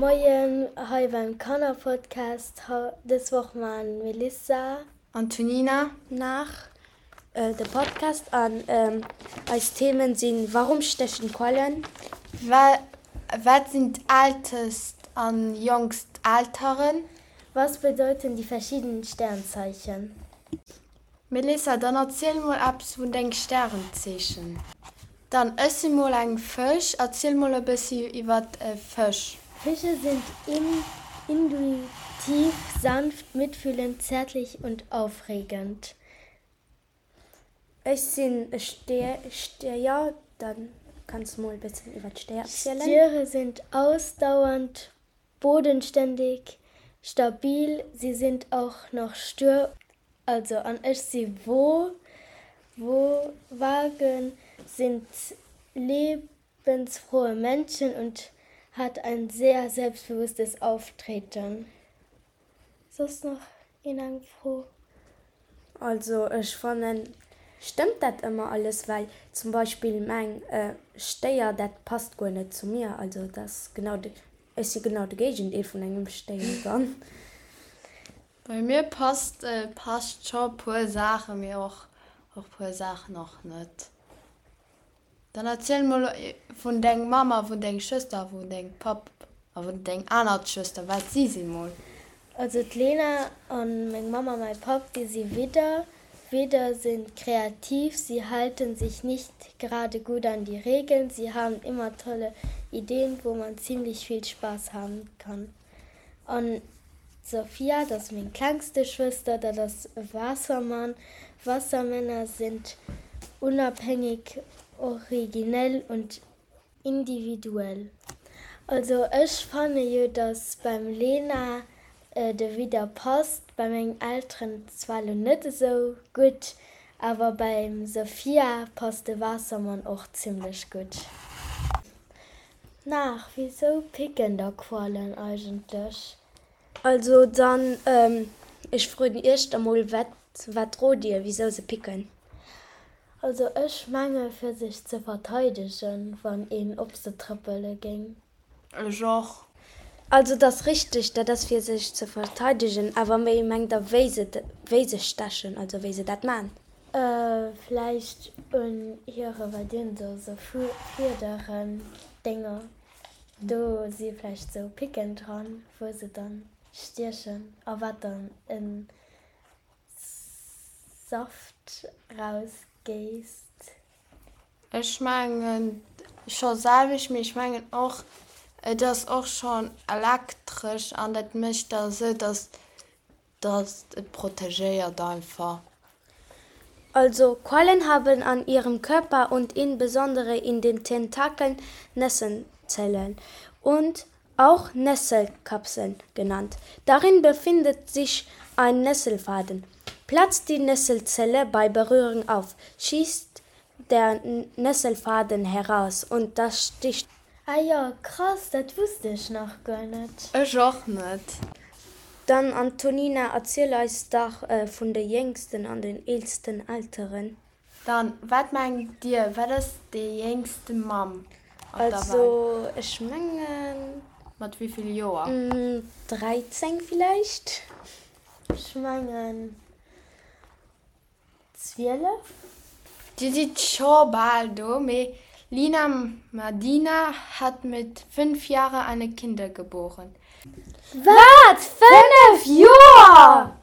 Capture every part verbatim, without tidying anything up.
Moien hei beim Kannerpodcast. Dës Woch mam Melissa. Antonina. Nach de Podcast an eis Themen sinn, Warum stechen Quallen? Wat sinn d'ältest an jonkst Alteren? Was bedeuten die verschiedenen Sternzeichen? Melissa, dann erziel mol eppes vun denge Stärenzeechen. Dann ech si mol eng Fësch, erziel mol e bëssi iwwert Fësch. Fische sind intuitiv, sanft, mitfühlend, zärtlich und aufregend. Ech sinn e Stéier, dann kanns mol e bëssen iwwert Stéier erzielen. Stiere sind ausdauernd, bodenständig, stabil, sie sind auch noch stur. Also an ech si Wo, Wo Waagen sind lebensfrohe Menschen und hat ein sehr selbstbewusstes Auftreten. Soss nach een eng Fro? Also ech fannen, stëmmt dat ëmmer alles, well zum Beispill meng Stéier dat passt guer net zu mir, also dat ass genau de, ech si genau de Géigendeel vun engem Stéier dann. Bei mir passt passt scho puer Saache mee och och puer Saachen och net. Dann erziel mol vun deng Mamm a vun deng Schwëster a vun dengem Papp a vun deng aner Schwëster, wat si sinn mol. Also d'Lena an meng Mamm a mäi Papp, déi si Widder. Widder sind kreativ, sie halten sich nicht gerade gut an die Regeln, sie haben immer tolle Ideen, wo man ziemlich viel Spaß haben kann. An d'Sophia, dat ass meng klengste Schwëster, dat ass Waassermann. Wassermänner sind unabhängig, originell und individuell. Also ech fanne jo, dass beim Lena de Widder passt, bei mengen Elteren zwar lo net esou gutt, awer beim Sophia passt de Waassermann och zimmlech gutt. Nach, wisou picken da Quallen eigentlech? Also dann, ech froen iech da mol, wat wat rot dir, wisou se picken? Also ech menge fir sech ze verteidegen, wann een op se trëppele géing. Ech och. Also et ass richteg, dat ass fir sech ze verteidegen, awer wéi mengt der wéi se wéi se stechen, also wéi se dat man? Vläicht un hire, wat dinn se, sou Fiederen Dénger, do si vläicht sou Picken dran, wou se dann stiechen a wat dann en Saft rausgéisst. Ech mengen scho selwecht, mee ech mengen och, et ass och schonn elektresch an dat mécht da sou, dass dass et protegéiert einfach. Also Quallen haben an ihrem Körper und insbesondere in den Tentakeln Nesselzellen und auch Nesselkapseln genannt. Darin befindet sich ein Nesselfaden. Platzt die Nesselzelle bei Berührung auf, schießt der Nesselfaden heraus und das sticht. Ah jo, krass, dat wusst ech nach guer net. Ech och net. Dann Antonina, erziel eis dach vun de jéngsten an den eelsten Elteren. Dann, wat mengt dir, wat ass déi jéngste Mamm op der Welt? Also ech mengen. Mat wéi vill Joer? Dräizéng villäicht? Ech mengen zwielef. Dir sidd scho bal do, mee Lina Madina hat mit fünf Jahre eine Kinder geboren. Wat? Fënnef Joer?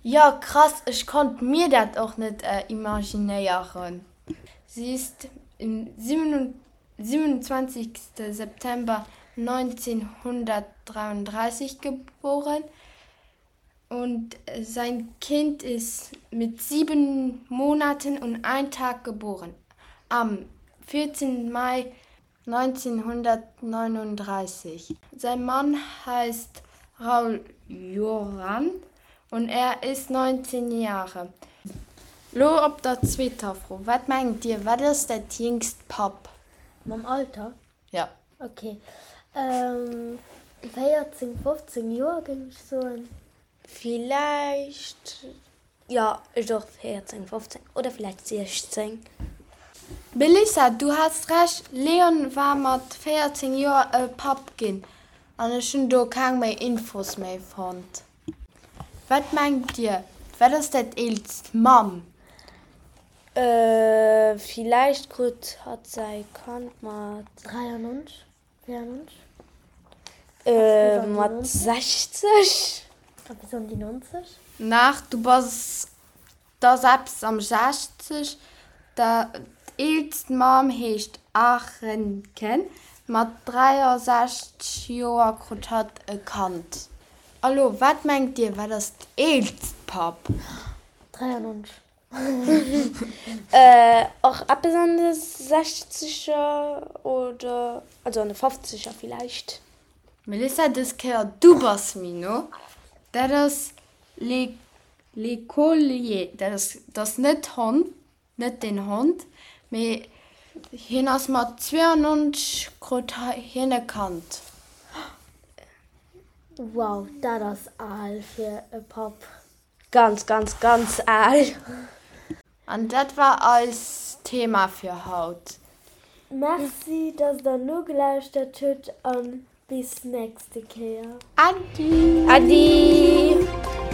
Jo, krass, ech konnt mir dat och net imaginéieren. Sie ist im siebenundzwanzigste September neunzehnhundertdreiunddreißig geboren und sein Kind ist mit sieben Monaten und ein Tag geboren, am vierzehnten Mai neunzehnhundertneununddreißig. Sein Mann heißt Raul Joran und er ist neunzehn Jahre. Lo op der zweeter Fro, Wat mengt Dir, wat ass dat jéngst Papp? Mam Alter? Ja. Ok. Véierzéng, fofzéng Joer géing ech soen. Villäicht, jo, ech och véierzéng, fofzéng oder villäicht siechzéng. Melissa, du has Recht, Leon war mat véierzéng Joer e Papp ginn. An ech hunn do keng méi Infos méi fonnt. Wat mengt dir, wat ass dat eelst Mamm? Äh, villäicht krut hatt säi Kand mat. dräiannonzeg, véiernonzeg? Äh, mat sechzeg? Eppes an déi nonzeg? Nach, du bass, 't ass eppes am sechzeg. D'eelst Mamm heescht Arenken. Mat dräiasechzeg Joer krut hatt e Kand. A lo, wat mengt dir, wat ass d'eelst Papp? Dräiannonzeg. Äh, och eppes an de Sechzeger oder, also an de Fofzeger villäicht. Melissa, dës Kéier du bass méi no. Dat ass L'écolier. Dat ass, dat ass net Hond, net den Hond, mee hien ass mat zwéiannonzeg krut hien e Kand. Wow, dat ass al fir e Papp. Ganz, ganz, ganz al. An dat war eist Thema fir haut. Merci, dass der nogelauschtert hutt an bis nächste Kéier. Adi! Adi!